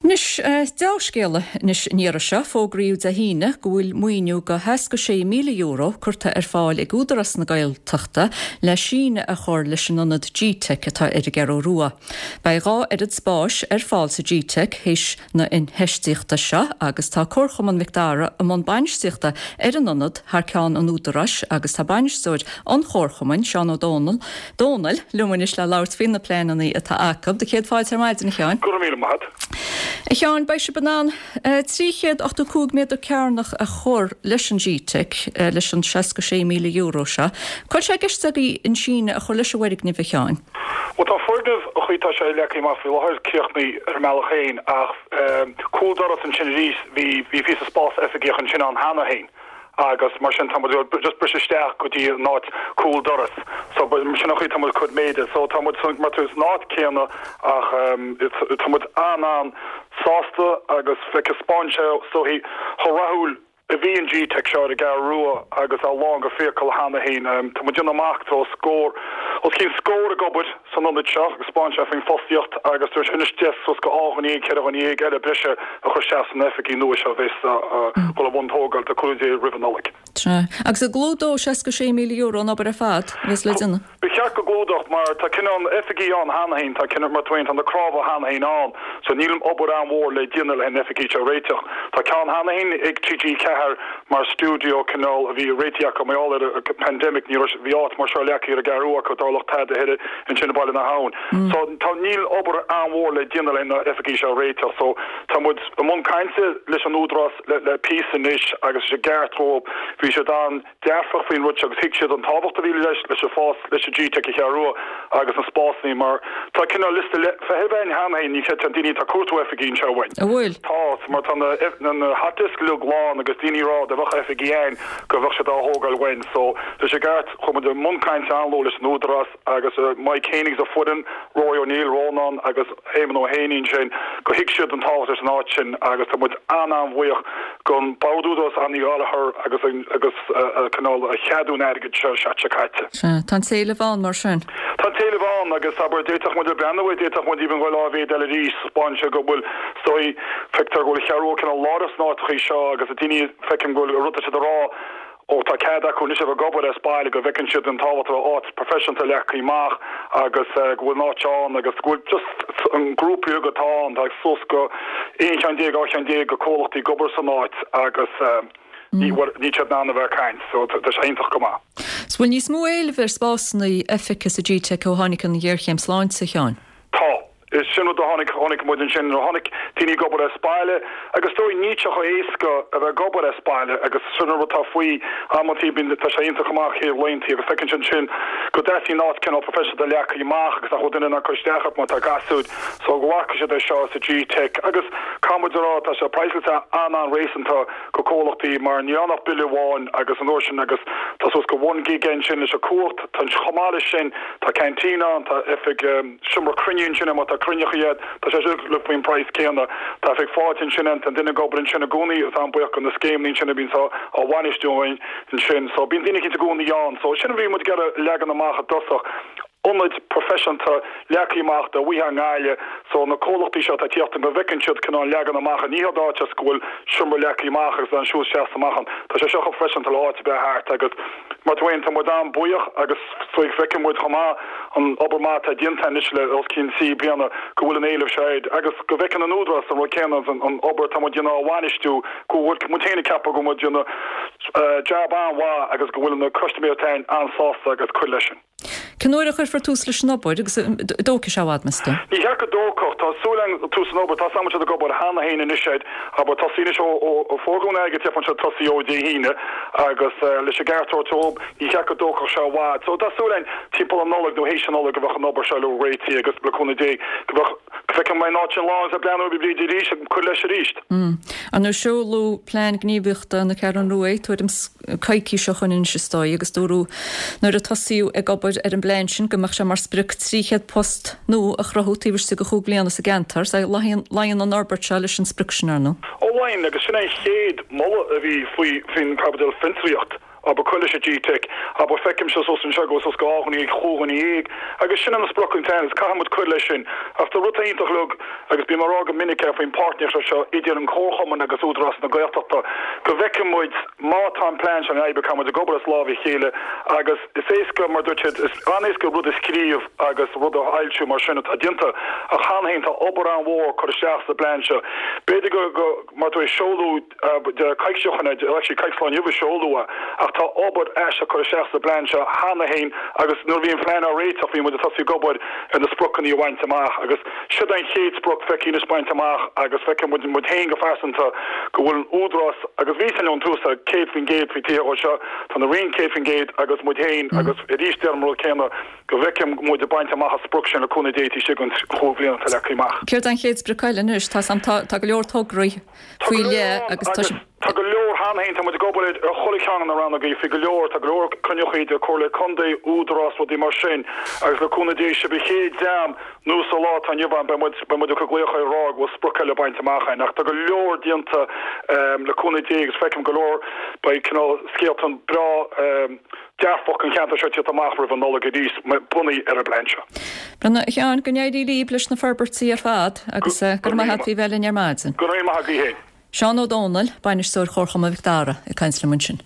Anois, deá-scéala anois an iarraidh seo, fógraíodh Dé hAoine go bhfuil maoiniú de €66,000 curtha ar fáil ag Údarás na Gaeltachta le síneadh a chur leis an ionad G-Teic atá ar an gCeathrú Rua. Beidh 2 oiread spáis ar fáil sa G-Teic théis na infheistíochta seo agus tá Comharchumann Mhic Dara i mbun bainistíochta ar an ionad thar ceann an Údaráis agus tá bainisteoir an Chomharchumainn, Seán Ó Dónaill, Dónaill, liom anois le labhairt faoi na pleananna atá acu. Do chéad fáilte ar maidin, a Sheáin. Go raibh míle maith agat. A Sheáin, beidh sibh in ann 385 méadar cearnach a chur leis an G-Teic leis an €66,000 seo. Cá bhfuil sé i gceist agaibh an síneadh a chur leis an bhfoirgneamh, a Sheáin? Bhuel, tá an foirgneamh, an chaoi atá sé leagtha amach faoi láthair, críochnaithe ar an mbealach féin ach cúl doras ansin arís, bhí píosa spás oifigeach ansin ann cheana féin. agus mar sin tá muid ag just briseadh isteach go dtí an áit cúl doras so sin an chaoi tá muid ag cur méide so tá muid san mar tú san áit céanna ach tá muid an-an sásta agus taispeánann sé is dóichí chomh rathúil a bhí an G-Teic seo ar an gCeathrú Rua agus é lán go fiacail cheana féin. Tá muid ag déanamh amach tá scór os cionn scór ag obair san ionad seo agus taispeánann sé faoin fostaíocht agus tá sé anois deis suas go 12 dhuine, 14 dhuine eile breise a chur isteach sna oifigí nua seo a bheas ag dul i mbun tógáil le cúnamh Dé roimh an Nollaig. Sea. Agus an gclúdóidh €66,000 an obair ar fad a bheas le déanamh? Ba cheart go gclúdódh mar tá cineál na oifigí ann cheana féin, tá cineál, mar tá na cnámha cheana féin ann so níl obair an-mhór le déanamh le na oifigí seo a réiteach. Tá ceann cheana féin ag TG4 mar stiúideo cineál a bhí réitithe acu mar gheall ar an pandemic ní raibh bhí áit mar seo leagtha ar an gCeathrú acu dá dtarlódh tada thoir ansin i Baile na hAbhann. So tá níl obair an-mhór le déanamh le na oifigí seo a réiteach so tá muid i mbun cainte leis an Údarás le le píosa anois agus is i gceart dhóibh bhí siad an dearfach faoin rud seo agus thuig siad an tábhacht a bhí leis leis an fás leis an G-Teic sa Cheathrú Rua agus na spásanna mar tá cineál liosta feithimh againn cheana féin ní chreidfeá daoine atá ag cuartú oifigí anseo uainn. An bhfuil? Tá, mar tá na na hot desk uilig lán agus daoine ag rá dá mbeadh oifigí againn go bheadh siad á thógáil uainn so leis an gceart chuaigh muid i mbun cainte an-luath leis an Údarás agus Mike féin agus a foireann, Rory O'Neill, Rónán agus Éamon Ó hÉanaí ansin, go thuig siad an tábhacht leis an áit sin agus tá muid an-an-bhuíoch don Bhord Údarás Annie Gallagher agus agus cineál a cheadú an airgid seo an tseachtain seo caite. Sea, tá an t-éileamh ann mar sin. Tá an t-éileamh ann agus abair d'fhéadfadh muid a breathnú air, d'fhéadfadh muid even dhul dhá mhéad eile arís, 'spáineann sé go bhfuil, is dóigh, feictear go bhfuil an Cheathrú Rua cineál lárnach sna áiteachaí seo agus daoine, feicim go bhfuil rud atá siad a rá, Ó tá cead acu anois a bheith ag obair as baile go bhfeiceann siad an tábhacht a bheith áit professionalta leagtha amach agus go bhfuil an áit ann agus go bhfuil just an grúpa beag atá ann, tá suas go 11 cheann, 12 cheann de comhlachtaí ag obair san áit agus ní, bhuel, níl siad in ann a bheith ag caint so tá sé iontach go maith. 'S bhfuil níos mó éilimh ar spásanna oifige sa G-Teic ó tháinig an ghéarchéim sláinte, a Sheáin? Tá. Is sin rud a tháinig, chonaic muid ansin nuair a tháinig daoine ag obair as baile agus is dóigh níl sé chomh éasca a bheith ag obair as baile agus sin an rud atá faoi amantaí bíonn, tá sé iontach amach chéad laethanta agus feiceann siad ansin go dteastaíonn áit cineál professionalta leagtha amach agus nach bhfuil duine in ann cur isteach ort má tá gasúir so go bhfaca siad é seo sa G-Teic agus caithfidh muid a rá tá sé praghsáilte an-an-réasúnta go comhlachtaí mar níl ann ach bille amháin agus an uair sin agus tá suas go one gig ansin leis an cumhacht tá chomh maith leis sin tá canteen ann tá oifig Seomra cruinniú ansin má tá cruinneachaí agat, tá sé uilig faoin praghas céanna. Tá oifig fáilte ansin ann, tá duine ag obair ansin i gcónaí agus an-buíoch do na scéimeanna ansin a bhíonns á bhainistiú againn ansin. So bíonn daoine eicínt i gcónaí ann. So sin a bhí muid ag iarraidh leagan amach i dtosach, ionaid professionalta leagtha amach dá bhfaightheá i nGaillimh. So na comhlachtaí seo atá ag tíocht go bhfeiceann siad cineál leagan amach, ní hiad áit is go bhfuil seomra leagtha amach agus an siúl isteach is amach ann. Tá sé seo chomh professionalta le áit ar bith thart agus mar tú féin tá muid an-buíoch agus feiceann muid chomh maith an obair maith atá déanta anois le os cionn trí bliana go bhfuil an éileamh seo air agus go bhfeiceann an Údarás an rud céanna agus an obair atá muid ag déanamh á bhainistiú go bhfuil muid féin ag ceapadh go bhfuil muid ag déanamh jab an-mhaith agus go bhfuil na custaiméirí atá againn an-sásta agus cuir leis sin. Cén uair a chuirfear tús leis an obair agus an dtógfaidh sé i bhfad, meas tú? Ní cheart go dtógfadh. Tá súil againn tús an obair. Tá siad ag obair cheana féin anois air. Abair tosaí anois ó fógraíodh an airgead ceapann siad tosaí ó Dé hAoine agus leis an gceart a thabhairt dóibh ní cheart go dtógfadh sé i bhfad. So tá súil againn timpeall an Nollaig nó théis an Nollaig go bheadh an obair seo uilig réitithe agus le cúnamh Dé go bheadh go bhfeicfidh mé an áit sin lán agus ag breathnú ar Bhríd arís ag cur leis arís. Ar ndóigh seoladh Plean Gníomhaíochta na Ceathrún Rua tuairim 's coicís ó shoin anois is dóigh agus dúradh nuair a tosaíodh ag obair ar an bplean sin go mbeadh sé mar sprioc 300 post nua a chruthú taobh istigh de chúig bliana sa gceantar. Luíonn an fhorbairt seo leis an sprioc sin, ar ndóigh. Ó luíonn, agus sin é an chéad moladh a bhí faoi faoin gcaibidil fiontraíocht. Abair cur leis an GTeic, abair feicimse suas anseo go bhfuil suas go 12 dhuine, 15 dhuine agus sin an sprioc an plean agus caithfidh muid cur leis sin. Ach tá rud iontach uilig agus bím á rá go minic é faoin páirtnéireacht seo idir an Comharchumann agus Údarás na Gaeltachta go bhfeicfidh muid má tá an plean seo in oibre caithfidh muid ag obair as lámh a chéile agus is éasca mar dúirt siad is an-éasca rud a scríobh agus rud a fhoilsiú mar sin atá déanta ach cheana féin tá obair an-mhór curtha isteach sa bplean seo. B'fhéidir go go mar tar éis seoladh coicís ó shin, actually coicís ó inniu a seoladh é, ach tá obair aisteach curtha isteach sa bplean seo cheana féin agus nuair a bhí an plean á réiteach bhí muid ag tosaí ag obair ar na spriocanna a bhaint amach agus siod an chéad sprioc feicthe anois bainte amach agus feiceann muid muid féin go phearsanta go bhfuil an Údarás agus bhí sin ón tús 100% faoi taobh seo, tá an Roinn 100% agus muid féin agus arís deirim an rud céanna go bhfeicfidh muid ag baint amach an sprioc sin le cúnamh Dé taobh istigh den chúig bhliana atá leagtha amach. Céard é an chéad sprioc eile anois? Tá tá go leor tograí faoi leith agus tá sé. Tá go leor cheana féin, tá muid ag obair ar chuile cheann de na rannógaí faoi go leor, tá go leor cruinnithe idir Comhairle Contae, Údarás, rudaí mar sin agus le cúnamh Dé sibh an chéad dream nó sa lá atá inniu ann beidh muid, beidh muid ag cur glaoch ag rá go bhfuil sprioc eile bainte amach againn ach tá go leor déanta le cúnamh Dé agus feicim go leor, beidh cineál scéalta breá dearfach don cheantar seo tíocht amach roimh an Nollaig arís, bunaithe ar an bplean seo. Bhuel, a Sheáin, go n-éirí libh leis na forbairtí ar fad agus go raibh maith agat faoi bheith linn ar maidin. Go raibh maith agaibh féin. Seán Ó Domhnaill, Bainisteoir Chomharchumann Mhic Dara, ag caint liom ansin.